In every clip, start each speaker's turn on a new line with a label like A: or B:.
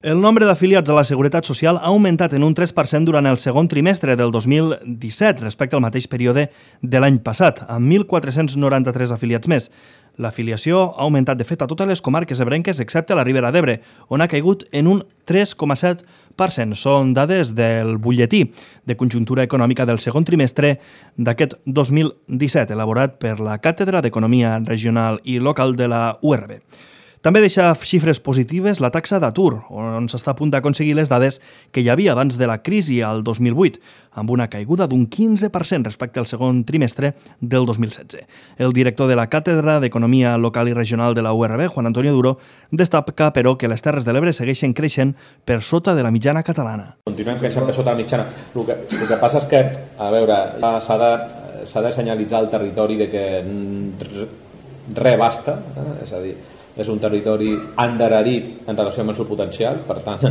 A: El nombre d'afiliats a la Seguretat Social ha augmentat en un 3% durant el segon trimestre del 2017 respecte al mateix període de l'any passat, amb 1.493 afiliats més. L'afiliació ha augmentat, de fet, a totes les comarques ebrenques excepte a la Ribera d'Ebre, on ha caigut en un 3,7%. Són dades del butlletí de conjuntura econòmica del segon trimestre d'aquest 2017, elaborat per la Càtedra d'Economia Regional i Local de la URB. També deixa xifres positives la taxa d'atur, on s'està a punt d'aconseguir les dades que hi havia abans de la crisi al 2008, amb una caiguda d'un 15% respecte al segon trimestre del 2016. El director de la Càtedra d'Economia Local i Regional de la URB, Juan Antonio Duro, destaca, però, que les Terres de l'Ebre segueixen creixent per sota de la mitjana catalana.
B: Continuem creixent per sota la mitjana. El que passa és que, a veure, s'ha de senyalitzar el territori de que res basta, és a dir, és un territori endarrerit en relació amb el seu potencial, per tant,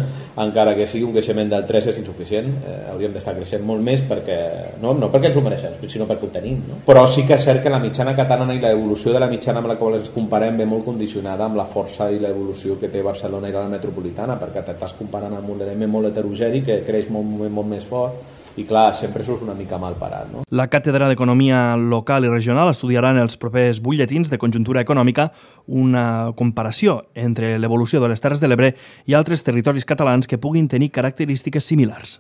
B: encara que sigui un creixement del 3 és insuficient, hauríem d'estar creixent molt més perquè, no perquè ens ho mereixem, sinó perquè ho tenim. No? Però sí que és cert que la mitjana catalana i l'evolució de la mitjana amb la qual ens comparem ve molt condicionada amb la força i l'evolució que té Barcelona i la metropolitana, perquè t'estàs comparant amb un element molt heterogeni que creix molt més fort, i clar, sempre això és una mica mal parat. No?
A: La Càtedra d'Economia Local i Regional estudiarà en els propers butlletins de conjuntura econòmica una comparació entre l'evolució de les Terres de l'Ebre i altres territoris catalans que puguin tenir característiques similars.